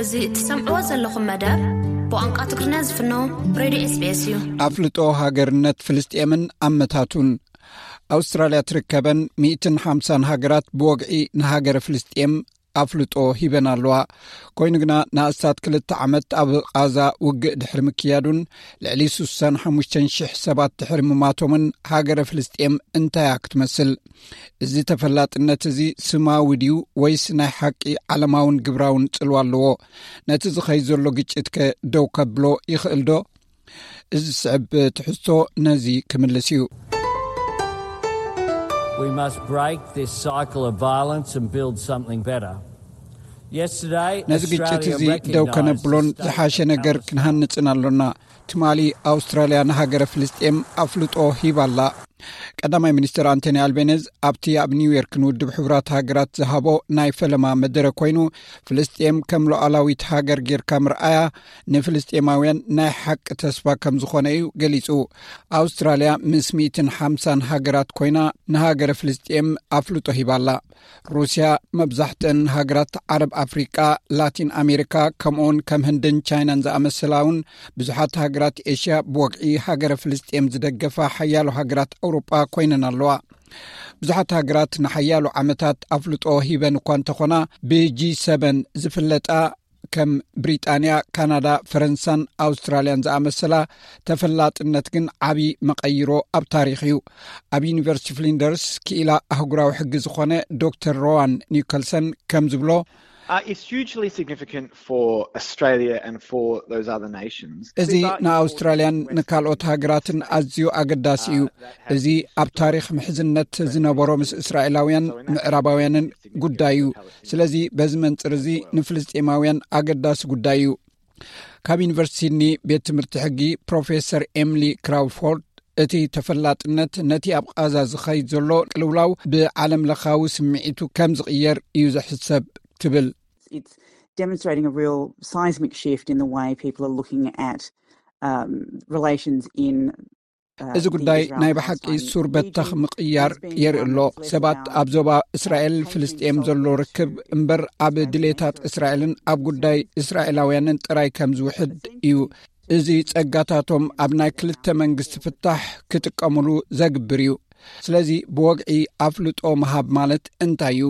እዚ እትሰምዕዎ ዘለኹም መደብ ብቋንቋ ትግርኛ ዝፍኖ ሬድዮ ኤስቢኤስ እዩ። ኣፍልጦ ሃገርነት ፍልስጤምን ኣመታቱን። ኣውስትራልያ ትርከበን ሚእትን ሓምሳን ሃገራት ብወግዒ ንሃገረ ፍልስጤም ኣፍልጦ ሂበን ኣለዋ። ኮይኑ ግና ንኣስታት ክልተ ዓመት ኣብ ቓዛ ውግእ ድሕሪ ምክያዱን ልዕሊ ሱሳን ሓሙሽተን ሽሕ ሰባት ድሕሪ ምማቶምን ሃገረ ፍልስጤም እንታያ ክትመስል? እዚ ተፈላጥነት እዚ ስማዊ ድዩ ወይስ ናይ ሓቂ ዓለማውን ግብራውን ጽልዋ ኣለዎ? ነቲ ዝኸይ ዘሎ ግጭት ከ ደው ከብሎ ይኽእል ዶ? እዚ ዝስዕብ ትሕዝቶ ነዚ ክምልስ እዩ። We must break this cycle of violence and build something better. Yesterday, ነዚ ግጭት እዚ ደው ከነብሎን ዝሓሸ ነገር ክንሃንጽን ኣሎና። ትማሊ ኣውስትራልያ ንሃገረ ፍልስጤም ኣፍልጦ ሂባላ። ቀዳማይ ሚኒስትር ኣንቶኒ ኣልቤነዝ ኣብቲ ኣብ ኒውዮርክ ንውድብ ሕቡራት ሃገራት ዝሃቦ ናይ ፈለማ መደረ ኮይኑ፣ ፍልስጤም ከም ሉዓላዊት ሃገር ጌርካ ምርኣያ ንፍልስጤማውያን ናይ ሓቂ ተስፋ ከም ዝኾነ እዩ ገሊጹ። ኣውስትራልያ ምስ ሚእትን ሓምሳን ሃገራት ኮይና ንሃገረ ፍልስጤም ኣፍልጦ ሂባላ። ሩስያ፣ መብዛሕትአን ሃገራት ዓረብ፣ ኣፍሪቃ፣ ላቲን ኣሜሪካ፣ ከምኡውን ከም ህንድን ቻይናን ዝኣመሰላ እውን ብዙሓት ሃገራት ኤሽያ ብወግዒ ሃገረ ፍልስጤም ዝደገፋ ሓያሎ ሃገራት ኣውሮጳ ኮይነን ኣለዋ። ብዙሓት ሃገራት ንሓያሎ ዓመታት ኣፍልጦ ሂበን እኳ እንተኾና፣ ብጂ ሰበን ዝፍለጣ ከም ብሪጣንያ፣ ካናዳ፣ ፈረንሳን ኣውስትራልያን ዝኣመሰላ፣ ተፈላጥነት ግን ዓቢ መቐይሮ ኣብ ታሪኽ እዩ። ኣብ ዩኒቨርሲቲ ፍሊንደርስ ክኢላ ኣህጉራዊ ሕጊ ዝኾነ ዶክተር ሮዋን ኒኮልሰን ከም ዝብሎ፣ Uh, it's hugely significant for Australia and for those other nations. እዚ ንኣውስትራልያን ንካልኦት ሃገራትን ኣዝዩ ኣገዳሲ እዩ። እዚ ኣብ ታሪኽ ምሕዝነት ዝነበሮ ምስ እስራኤላውያን ምዕራባውያንን ጉዳይ እዩ። ስለዚ በዚ መንጽር እዚ ንፍልስጤማውያን ኣገዳሲ ጉዳይ እዩ። ካብ ዩኒቨርሲቲ ሲድኒ ቤት ትምህርቲ ሕጊ ፕሮፌሰር ኤምሊ ክራውፎርድ፣ እቲ ተፈላጥነት ነቲ ኣብ ቓዛ ዝኸይድ ዘሎ ቅልውላው ብዓለም ለኻዊ ስምዒቱ ከም ዝቕየር እዩ ዝሕሰብ ትብል። It's demonstrating a real seismic shift in the way people are looking at um, relations in እዚ ጉዳይ ናይ ብሓቂ ሱር በተኽ ምቕያር የርኢ ኣሎ። ሰባት ኣብ ዞባ እስራኤል ፍልስጤም ዘሎ ርክብ እምበር ኣብ ድሌታት እስራኤልን ኣብ ጉዳይ እስራኤላውያንን ጥራይ ከም ዝውሕድ እዩ። እዚ ጸጋታቶም ኣብ ናይ ክልተ መንግስቲ ፍታሕ ክጥቀምሉ ዘግብር እዩ። ስለዚ ብወግዒ ኣፍልጦ ምሃብ ማለት እንታይ እዩ?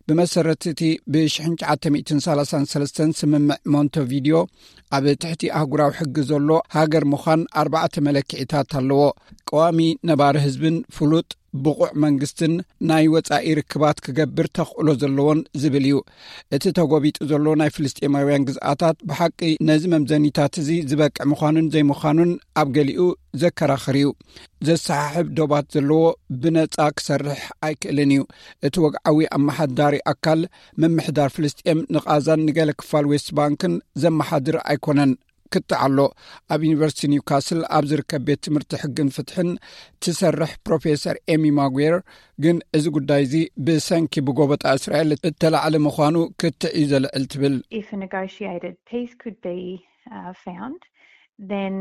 ብመሰረት እቲ ብ ሽሕን ትሽዓተ ሚእትን ሰላሳን ሰለስተን ስምምዕ ሞንተቪዲዮ፣ ኣብ ትሕቲ ኣህጉራዊ ሕጊ ዘሎ ሃገር ምዃን ኣርባዕተ መለክዒታት ኣለዎ። ቀዋሚ ነባሪ ህዝብን ፍሉጥ ብቑዕ መንግስትን ናይ ወጻኢ ርክባት ክገብር ተኽእሎ ዘለዎን ዝብል እዩ። እቲ ተጎቢጡ ዘሎ ናይ ፍልስጤማውያን ግዝኣታት ብሓቂ ነዚ መምዘኒታት እዚ ዝበቅዕ ምዃኑን ዘይምዃኑን ኣብ ገሊኡ ዘከራኽር እዩ። ዘሰሓሕብ ዶባት ዘለዎ ብነጻ ክሰርሕ ኣይክእልን እዩ። እቲ ወግዓዊ ኣመሓዳሪ ኣካል ምምሕዳር ፍልስጤም ንቓዛን ንገለ ክፋል ዌስት ባንክን ዘመሓድር ኣይኮነን። ክትዓሎ ኣብ ዩኒቨርሲቲ ኒውካስል ኣብ ዝርከብ ቤት ትምህርቲ ሕግን ፍትሕን ትሰርሕ ፕሮፌሰር ኤሚ ማጉዌር ግን እዚ ጉዳይ እዚ ብሰንኪ ብጎበጣ እስራኤል እተላዕለ ምዃኑ ክትዕ እዩ ዘልዕል ትብል። If a negotiated peace could be uh, found, then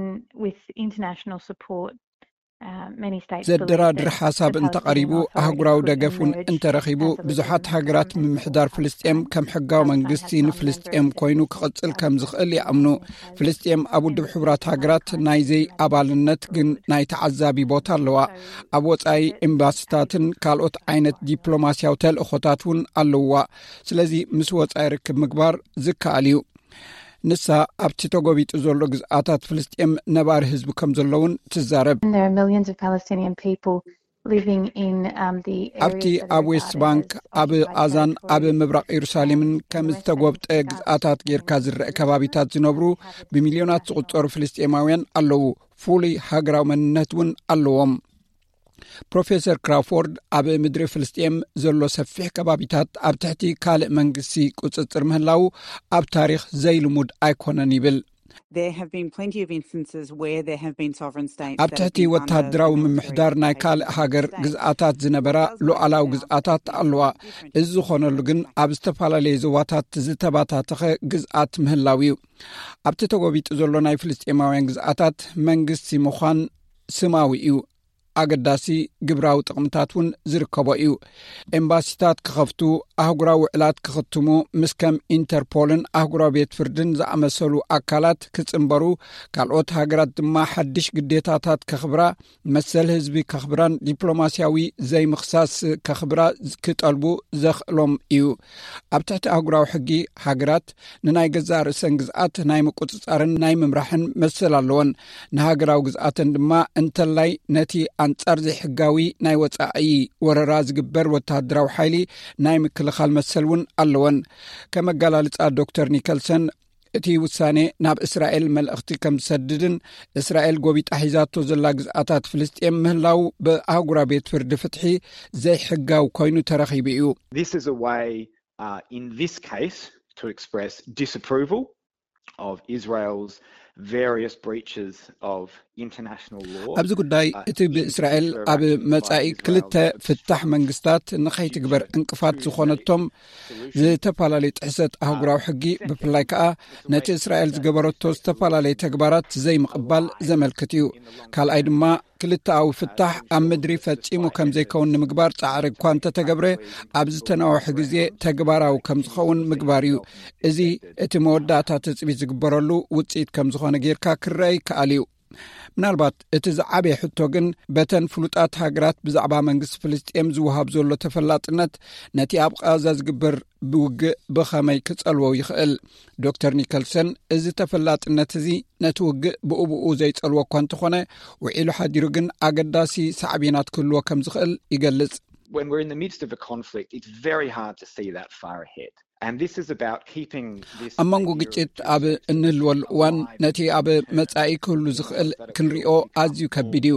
with international support, uh, many states believe ዘደራድር that ሓሳብ the እንተቐሪቡ Palestinian Authority ኣህጉራዊ could ደገፍ እውን emerge እንተረኺቡ as a ብዙሓት legitimate ሃገራት government ምምሕዳር or ፍልስጤም ከም ሕጋዊ መንግስቲ ንፍልስጤም ኮይኑ ክቕጽል ከም ዝኽእል ይኣምኑ። ፍልስጤም ኣብ ውድብ ሕቡራት ሃገራት ናይ ዘይ ኣባልነት ግን ናይ ተዓዛቢ ቦታ ኣለዋ። ኣብ ወጻኢ ኤምባሲታትን ካልኦት ዓይነት ዲፕሎማስያዊ ተልእኾታት እውን ኣለውዋ። ስለዚ ምስ ወጻኢ ርክብ ምግባር ዝከኣል እዩ። ንሳ ኣብቲ ተጎቢጡ ዘሎ ግዝኣታት ፍልስጤም ነባሪ ህዝቢ ከም ዘለውን ትዛረብ። There are millions of Palestinian people living in um, the ኣብቲ ኣብ ዌስት ባንክ ኣብ ቓዛን ኣብ ምብራቕ የሩሳሌምን ከም ዝተጎብጠ ግዝኣታት ጌርካ ዝረአ ከባቢታት ዝነብሩ ብሚልዮናት ዝቑጸሩ ፍልስጤማውያን ኣለዉ። ፍሉይ ሃገራዊ መንነት እውን ኣለዎም። ፕሮፌሰር ክራፎርድ ኣብ ምድሪ ፍልስጤም ዘሎ ሰፊሕ ከባቢታት ኣብ ትሕቲ ካልእ መንግስቲ ቁጽጽር ምህላዉ ኣብ ታሪኽ ዘይልሙድ ኣይኮነን ይብል። There have been plenty of instances where there have been sovereign states ኣብ ትሕቲ ወታደራዊ ምምሕዳር ናይ ካልእ ሃገር ግዝኣታት ዝነበራ ሉዓላዊ ግዝኣታት ኣለዋ። እዚ ዝኾነሉ ግን ኣብ ዝተፈላለየ ዞባታት ዝተባታተኸ ግዝኣት ምህላው እዩ። ኣብቲ ተጎቢጡ ዘሎ ናይ ፍልስጤማውያን ግዝኣታት መንግስቲ ምዃን ስማዊ እዩ። ኣገዳሲ ግብራዊ ጥቕምታት እውን ዝርከቦ እዩ። ኤምባሲታት ክኸፍቱ፣ ኣህጉራዊ ውዕላት ክኽትሙ፣ ምስ ከም ኢንተርፖልን ኣህጉራዊ ቤት ፍርድን ዝኣመሰሉ ኣካላት ክጽንበሩ፣ ካልኦት ሃገራት ድማ ሓድሽ ግዴታታት ከኽብራ፣ መሰል ህዝቢ ከኽብራን ዲፕሎማስያዊ ዘይምኽሳስ ከኽብራ ክጠልቡ ዘኽእሎም እዩ። ኣብ ትሕቲ ኣህጉራዊ ሕጊ፣ ሃገራት ንናይ ገዛእ ርእሰን ግዝኣት ናይ ምቁጽጻርን ናይ ምምራሕን መሰል ኣለወን። ንሃገራዊ ግዝኣተን ድማ፣ እንተላይ ነቲ ኣንጻር ዘይሕጋዊ ናይ ወጻኢ ወረራ ዝግበር ወተሃደራዊ ሓይሊ ናይ ምክልኻል መሰል እውን ኣለወን። ከም ኣገላልጻ ዶክተር ኒከልሰን፣ እቲ ውሳኔ ናብ እስራኤል መልእኽቲ ከም ዝሰድድን፣ እስራኤል ጎቢጣ ሒዛቶ ዘላ ግዝኣታት ፍልስጤም ምህላው ብኣህጉራዊ ቤት ፍርዲ ፍትሒ ዘይሕጋዊ ኮይኑ ተረኺቡ እዩ። This is a way, uh, in this case, to express disapproval of Israel's various breaches of international law. ኣብዚ ጉዳይ፣ እቲ ብእስራኤል ኣብ መጻኢ ክልተ ፍታሕ መንግስታት ንኸይትግበር ዕንቅፋት ዝኾነቶም ዝተፈላለዩ ጥሕሰት ኣህጉራዊ ሕጊ፣ ብፍላይ ከኣ ነቲ እስራኤል ዝገበረቶ ዝተፈላለዩ ተግባራት ዘይምቕባል ዘመልክት እዩ። ካልኣይ ድማ፣ ክልተኣዊ ፍታሕ ኣብ ምድሪ ፈጺሙ ከም ዘይከውን ንምግባር ጻዕሪ እኳ እንተተገብረ፣ ኣብ ዝተናውሐ ግዜ ተግባራዊ ከም ዝኸውን ምግባር እዩ። እዚ እቲ መወዳእታ ትጽቢት ዝግበረሉ ውጽኢት ከም ዝኾነ ጌርካ ክረአ ይከኣል እዩ። ምናልባት እቲ ዝዓበየ ሕቶ ግን፣ በተን ፍሉጣት ሃገራት ብዛዕባ መንግስቲ ፍልስጤም ዝወሃብ ዘሎ ተፈላጥነት፣ ነቲ ኣብ ቃዛ ዝግበር ብውግእ ብኸመይ ክጸልዎ ይኽእል? ዶክተር ኒከልሰን፣ እዚ ተፈላጥነት እዚ ነቲ ውግእ ብኡብኡ ዘይጸልዎ እኳ እንተኾነ፣ ውዒሉ ሓዲሩ ግን ኣገዳሲ ሳዕቤናት ክህልዎ ከም ዝኽእል ይገልጽ። When we're in the midst of a conflict, it's very hard to see that far ahead. And this is about keeping this ኣብ መንጎ idea of ግጭት ኣብ እንህልወሉ እዋን፣ ነቲ ኣብ መጻኢ ክህሉ ዝኽእል ክንሪኦ ኣዝዩ ከቢድ እዩ።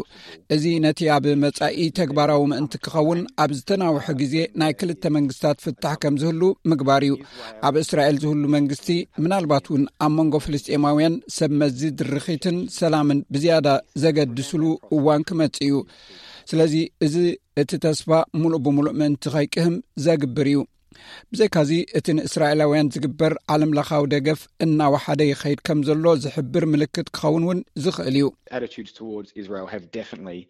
እዚ ነቲ ኣብ መጻኢ ተግባራዊ ምእንቲ ክኸውን፣ ኣብ ዝተናውሐ ግዜ ናይ ክልተ መንግስታት ፍታሕ ከም ዝህሉ ምግባር እዩ። ኣብ እስራኤል ዝህሉ መንግስቲ፣ ምናልባት እውን ኣብ መንጎ ፍልስጤማውያን ሰብ መዚ ድርኺትን ሰላምን ብዝያዳ ዘገድስሉ እዋን ክመጽእ እዩ። ስለዚ፣ እዚ እቲ ተስፋ ምሉእ ብምሉእ ምእንቲ ከይቅህም ዘግብር እዩ። ብዘይካዚ፣ እቲ ንእስራኤላውያን ዝግበር ዓለምለኻዊ ደገፍ እናወሓደ ይኸይድ ከም ዘሎ ዝሕብር ምልክት ክኸውን እውን ዝኽእል እዩ። Attitudes towards Israel have definitely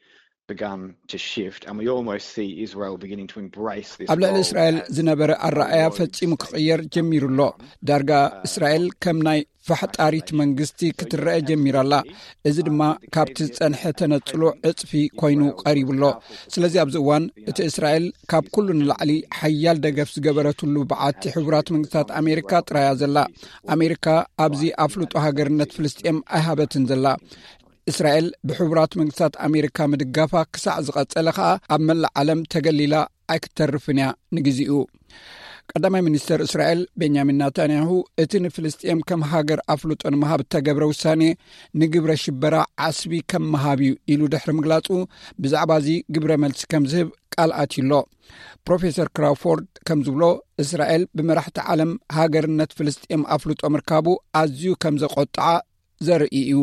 begun to shift, and we almost see Israel beginning to embrace this ኣብ ልዕሊ role እስራኤል as ዝነበረ ኣረኣያ ፈጺሙ ክቕየር ጀሚሩ ኣሎ። ዳርጋ እስራኤል ከም ናይ ፋሕጣሪት መንግስቲ ክትረአ ጀሚራ ኣላ። እዚ ድማ ካብቲ ዝጸንሐ ተነጽሎ ዕጽፊ ኮይኑ ቀሪቡ ኣሎ። ስለዚ ኣብዚ እዋን እቲ እስራኤል ካብ ኩሉ ንላዕሊ ሓያል ደገፍ ዝገበረትሉ በዓቲ ሕቡራት መንግስታት ኣሜሪካ ጥራያ ዘላ። ኣሜሪካ ኣብዚ ኣፍልጦ ሃገርነት ፍልስጤም ኣይሃበትን ዘላ። እስራኤል ብሕቡራት መንግስታት ኣሜሪካ ምድጋፋ ክሳዕ ዝቐጸለ ከኣ ኣብ መላእ ዓለም ተገሊላ ኣይክተርፍን እያ ንግዚኡ። ቀዳማይ ሚኒስተር እስራኤል ቤንያሚን ናታንያሁ፣ እቲ ንፍልስጤም ከም ሃገር ኣፍልጦ ንምሃብ እተገብረ ውሳኔ ንግብረ ሽበራ ዓስቢ ከም ምሃብ እዩ ኢሉ ድሕሪ ምግላጹ፣ ብዛዕባ እዚ ግብረ መልሲ ከም ዝህብ ቃል ኣትዩ ኣሎ። ፕሮፌሰር ክራውፎርድ ከም ዝብሎ፣ እስራኤል ብመራሕቲ ዓለም ሃገርነት ፍልስጤም ኣፍልጦ ምርካቡ ኣዝዩ ከም ዘቆጥዓ ዘርኢ እዩ።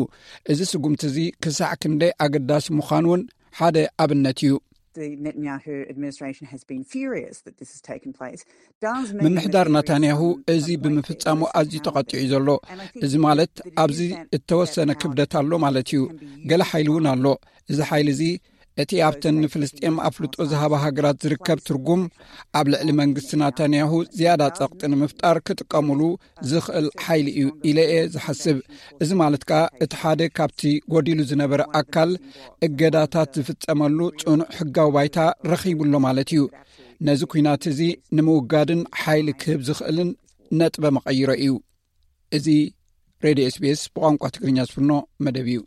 እዚ ስጉምቲ እዚ ክሳዕ ክንደይ ኣገዳሲ ምዃኑ እውን ሓደ ኣብነት እዩ። The Netanyahu administration has been furious that this has taken place. Does mean ምምሕዳር that there is ናታንያሁ some, እዚ some weight ብምፍጻሙ there ኣዝዩ ተቐጢዑ እዩ ዘሎ። And I think እዚ ማለት that ኣብዚ is that እተወሰነ that ክብደት ኣሎ ማለት እዩ። Can be ገለ ሓይሊ እውን ኣሎ። እዚ ሓይሊ እዚ እቲ ኣብተን ንፍልስጤም ኣፍልጦ ዝሃባ ሃገራት ዝርከብ ትርጉም ኣብ ልዕሊ መንግስቲ ናታንያሁ ዝያዳ ጸቕጢ ንምፍጣር ክጥቀሙሉ ዝኽእል ሓይሊ እዩ ኢለ እየ ዝሓስብ። እዚ ማለት ከኣ እቲ ሓደ ካብቲ ጎዲሉ ዝነበረ ኣካል እገዳታት ዝፍጸመሉ ጽኑዕ ሕጋዊ ባይታ ረኺቡ ኣሎ ማለት እዩ። ነዚ ኲናት እዚ ንምውጋድን ሓይሊ ክህብ ዝኽእልን ነጥበ መቐይሮ እዩ። እዚ ሬድዮ ኤስቢኤስ ብቋንቋ ትግርኛ ዝፍኖ መደብ እዩ።